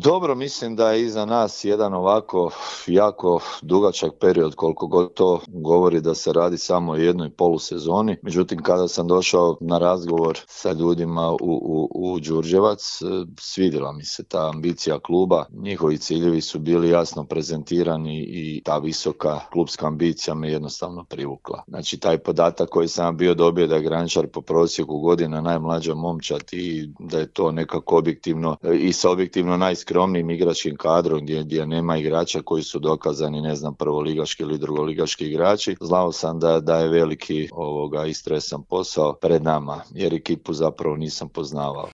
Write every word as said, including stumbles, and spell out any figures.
Dobro, mislim da je iza nas jedan ovako jako dugačak period, koliko god to govori da se radi samo o jednoj polusezoni. Međutim, kada sam došao na razgovor sa ljudima u, u, u Đurđevac, svidjela mi se ta ambicija kluba. Njihovi ciljevi su bili jasno prezentirani i ta visoka klubska ambicija me jednostavno privukla. Znači, taj podatak koji sam bio dobio da je Grančar po prosjeku godina najmlađa momčad i da je to nekako objektivno i sa objektivno najskromnijim igračkim kadrom gdje, gdje nema igrača koji su dokazani, ne znam, prvoligaški ili drugoligaški igrači. Znao sam da, da je veliki ovoga i stresan posao pred nama, jer ekipu zapravo nisam poznavao.